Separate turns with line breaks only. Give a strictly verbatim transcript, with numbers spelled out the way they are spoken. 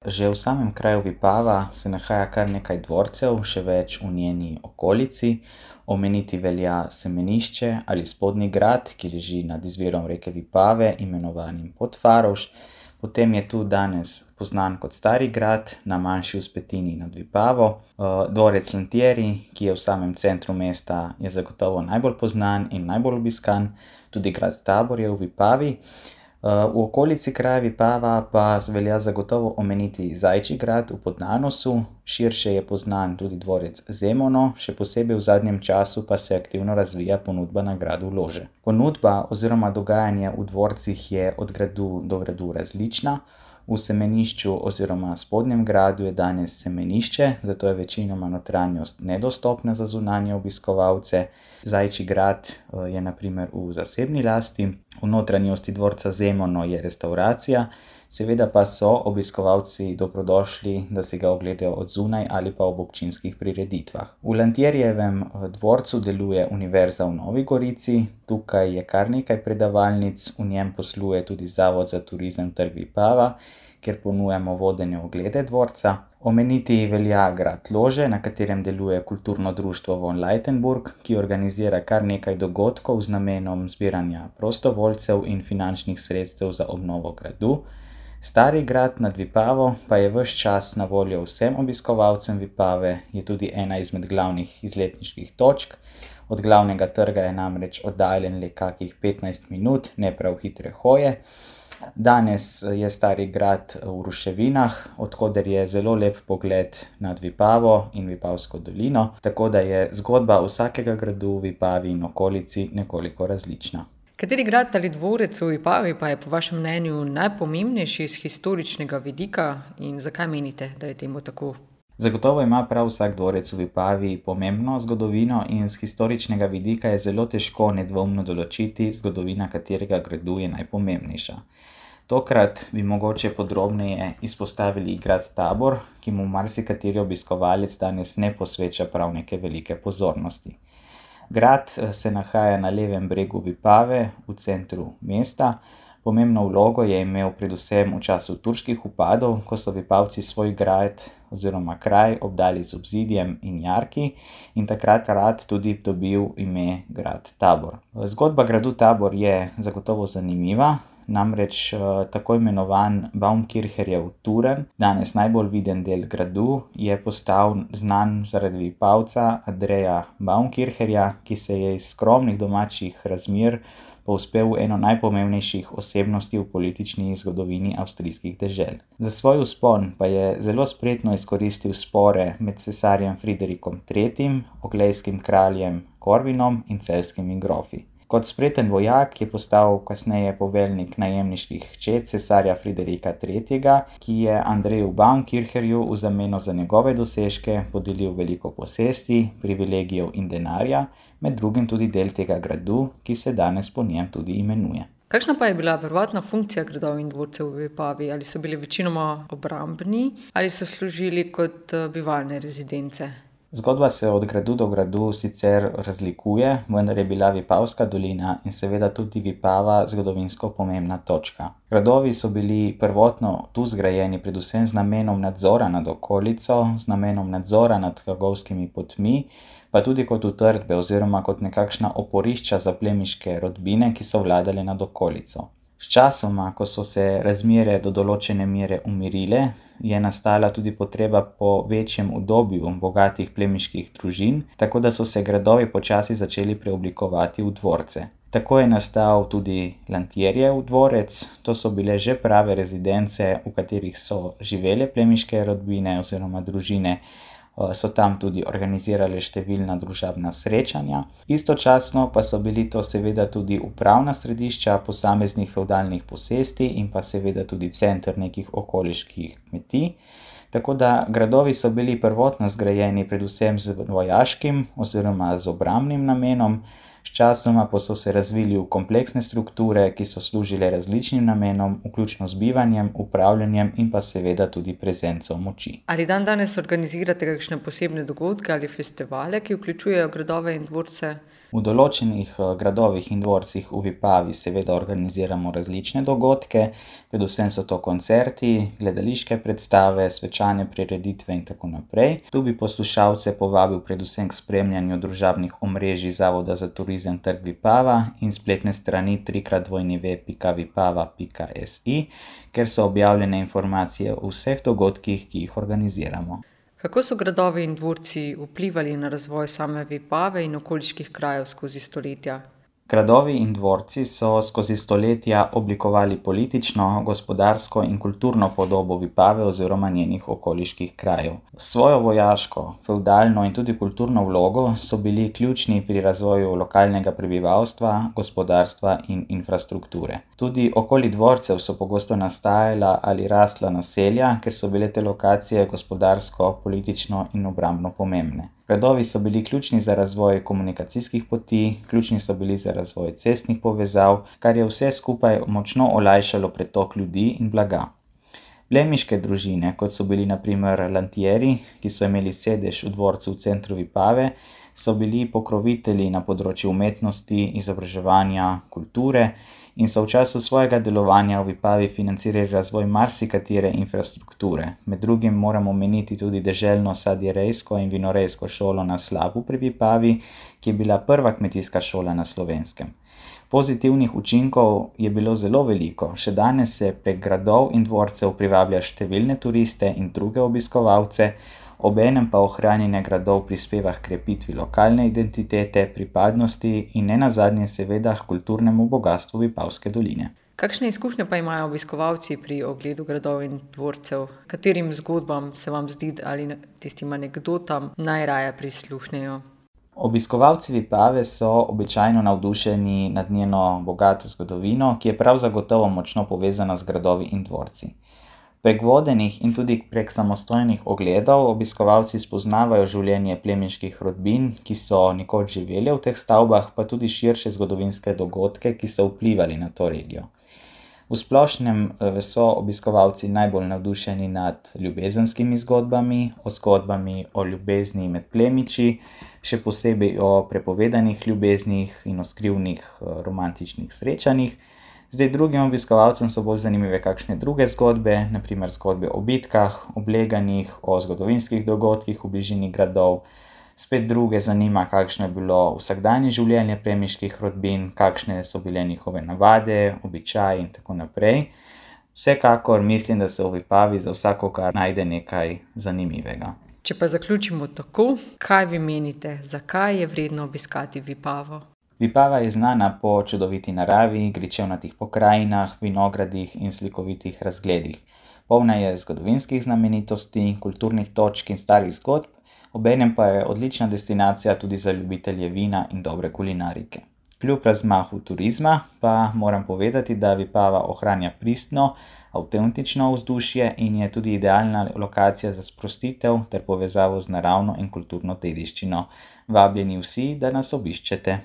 Že v samem kraju Vipava se nahaja kar nekaj dvorcev, še več v njeni okolici. Omeniti velja Semenišče ali Spodnji grad, ki leži nad izvirom reke Vipave, imenovanim Podfarovš. Potem je tu danes poznan kot Stari grad, na manjši vzpetini nad Vipavo. Dvorec Lantieri, ki je v samem centru mesta, je zagotovo najbolj poznan in najbolj obiskan. Tudi grad Tabor je v Vipavi. V okolici kraja Vipava pa velja zagotovo omeniti Zajčji grad v Podnanosu, širše je poznan tudi dvorec Zemono, še posebej v zadnjem času pa se aktivno razvija ponudba na gradu Lože. Ponudba oziroma dogajanje v dvorcih je od gradu do gradu različna. V Semenišču oziroma Spodnjem gradu je danes semenišče, zato je večinoma notranjost nedostopna za zunanje obiskovalce. Zajčji grad je na primer v zasebni lasti, v notranjosti dvorca Zemono je restavracija, seveda pa so obiskovalci dobrodošli, da si ga ogledajo od zunaj ali pa ob občinskih prireditvah. V Lantierijevem dvorcu deluje Univerza v Novi Gorici, tukaj je kar nekaj predavalnic, v njem posluje tudi Zavod za turizem Trg Vipava, kjer ponujamo vodene oglede dvorca. Omeniti velja grad Lože, na katerem deluje kulturno društvo Von Leitenburg, ki organizira kar nekaj dogodkov z namenom zbiranja prostovoljcev in finančnih sredstev za obnovo gradu. Stari grad nad Vipavo pa je ves čas na voljo vsem obiskovalcem Vipave, je tudi ena izmed glavnih izletniških točk. Od glavnega trga je namreč oddaljen le kakih petnajst minut, ne prav hitre hoje. Danes je Stari grad v ruševinah, od koder je zelo lep pogled nad Vipavo in Vipavsko dolino, tako da je zgodba vsakega gradu v Vipavi in okolici nekoliko različna.
Kateri grad ali dvorec v Vipavi pa je po vašem mnenju najpomembnejši iz historičnega vidika in zakaj menite, da je temu tako?
Zagotovo ima prav vsak dvorec v Vipavi pomembno zgodovino in z historičnega vidika je zelo težko nedvoumno določiti, zgodovina katerega gradu je najpomembnejša. Tokrat bi mogoče podrobneje izpostavili grad Tabor, ki mu marsikateri obiskovalec danes ne posveča prav neke velike pozornosti. Grad se nahaja na levem bregu Vipave, v centru mesta. Pomembno vlogo je imel predvsem v času turških vpadov, ko so Vipavci svoj grad oziroma kraj obdali z obzidjem in jarki in takrat rad tudi dobil ime grad Tabor. Zgodba gradu Tabor je zagotovo zanimiva, namreč tako imenovan Baumkircherjev turn, danes najbolj viden del gradu, je postal znan zaradi Vipavca Andreja Baumkircherja, ki se je iz skromnih domačih razmer povzpel v eno najpomembnejših osebnosti v politični zgodovini avstrijskih dežel. Za svoj vzpon pa je zelo spretno izkoristil spore med cesarjem Friderikom tretjim, oglejskim kraljem Korvinom in celjskimi grofi. Kot spreten vojak je postal kasneje poveljnik najemniških čet cesarja Friderika tretjega, ki je Andreju Baumkircherju v zameno za njegove dosežke podelil veliko posesti, privilegijev in denarja, med drugim tudi del tega gradu, ki se danes po njem tudi imenuje.
Kakšna pa je bila prvotna funkcija gradov in dvorcev v Vipavi? Ali so bili večinoma obrambni ali so služili kot bivalne rezidence?
Zgodba se od gradu do gradu sicer razlikuje, vendar je bila Vipavska dolina in seveda tudi Vipava zgodovinsko pomembna točka. Gradovi so bili prvotno tu zgrajeni predvsem z namenom nadzora nad okolico, z namenom nadzora nad trgovskimi potmi, pa tudi kot utrdbe oziroma kot nekakšna oporišča za plemiške rodbine, ki so vladale nad okolico. Sčasoma, ko so se razmere do določene mere umirile, je nastala tudi potreba po večjem udobju bogatih plemiških družin, tako da so se gradovi počasi začeli preoblikovati v dvorce. Tako je nastal tudi Lantierijev dvorec, to so bile že prave rezidence, v katerih so živele plemiške rodbine oziroma družine, so tam tudi organizirale številna družabna srečanja. Istočasno pa so bili to seveda tudi upravna središča posameznih fevdalnih posesti in pa seveda tudi center nekih okoliških kmetij. Tako da gradovi so bili prvotno zgrajeni predvsem z vojaškim oziroma z obrambnim namenom, sčasoma pa so se razvili v kompleksne strukture, ki so služile različnim namenom, vključno z bivanjem, upravljanjem in pa seveda tudi prezenco moči.
Ali dandanes organizirate kakšne posebne dogodke ali festivale, ki vključujejo gradove in dvorce?
V določenih gradovih in dvorcih v Vipavi seveda organiziramo različne dogodke, predvsem so to koncerti, gledališke predstave, svečane prireditve in tako naprej. Tu bi poslušalce povabil predvsem k spremljanju družabnih omrežij Zavoda za turizem Trg Vipava in spletne strani tri krat w pika vipava pika si, kjer so objavljene informacije o vseh dogodkih, ki jih organiziramo.
Kako so gradovi in dvorci vplivali na razvoj same Vipave in okoliških krajev skozi stoletja?
Gradovi in dvorci so skozi stoletja oblikovali politično, gospodarsko in kulturno podobo Vipave oziroma njenih okoliških krajev. S svojo vojaško, fevdalno in tudi kulturno vlogo so bili ključni pri razvoju lokalnega prebivalstva, gospodarstva in infrastrukture. Tudi okoli dvorcev so pogosto nastajala ali rasla naselja, ker so bile te lokacije gospodarsko, politično in obrambno pomembne. Gradovi so bili ključni za razvoj komunikacijskih poti, ključni so bili za razvoj cestnih povezav, kar je vse skupaj močno olajšalo pretok ljudi in blaga. Plemiške družine, kot so bili na primer Lantieri, ki so imeli sedež v dvorcu v centru Vipave, so bili pokrovitelji na področju umetnosti, izobraževanja, kulture in so v času svojega delovanja v Vipavi financirali razvoj marsikatere infrastrukture. Med drugim moramo omeniti tudi deželno sadjerejsko in vinorejsko šolo na Slapu pri Vipavi, ki je bila prva kmetijska šola na Slovenskem. Pozitivnih učinkov je bilo zelo veliko, še danes se prek gradov in dvorcev privablja številne turiste in druge obiskovalce, obenem pa ohranjanje gradov prispeva h krepitvi lokalne identitete, pripadnosti in nenazadnje seveda h kulturnemu bogastvu Vipavske doline.
Kakšne izkušnje pa imajo obiskovalci pri ogledu gradov in dvorcev? Katerim zgodbam se vam zdi ali tistim anekdotam najraje prisluhnejo?
Obiskovalci Vipave so običajno navdušeni nad njeno bogato zgodovino, ki je prav zagotovo močno povezana z gradovi in dvorci. Prek vodenih in tudi prek samostojnih ogledov obiskovalci spoznavajo življenje plemiških rodbin, ki so nekoč živeli v teh stavbah, pa tudi širše zgodovinske dogodke, ki so vplivali na to regijo. V splošnem so obiskovalci najbolj navdušeni nad ljubezenskimi zgodbami, o zgodbami o ljubezni med plemiči, še posebej o prepovedanih ljubeznih in o skrivnih romantičnih srečanjih. Zdaj drugim obiskovalcem so bolj zanimive kakšne druge zgodbe, na primer zgodbe o bitkah, obleganjih, o zgodovinskih dogodkih v bližini gradov. Spet druge zanima, kakšno je bilo vsakdanje življenje plemiških rodbin, kakšne so bile njihove navade, običaji in tako naprej. Vsekakor mislim, da se v Vipavi za vsakogar najde nekaj zanimivega.
Če pa zaključimo tako, kaj vi menite, zakaj je vredno obiskati Vipavo?
Vipava je znana po čudoviti naravi, gričevnatih pokrajinah, vinogradih in slikovitih razgledih. Polna je zgodovinskih znamenitosti, kulturnih točk in starih zgodb, obenem pa je odlična destinacija tudi za ljubitelje vina in dobre kulinarike. Kljub razmahu turizma pa moram povedati, da Vipava ohranja pristno, avtentično vzdušje in je tudi idealna lokacija za sprostitev ter povezavo z naravno in kulturno dediščino. Vabljeni vsi, da nas obiščete.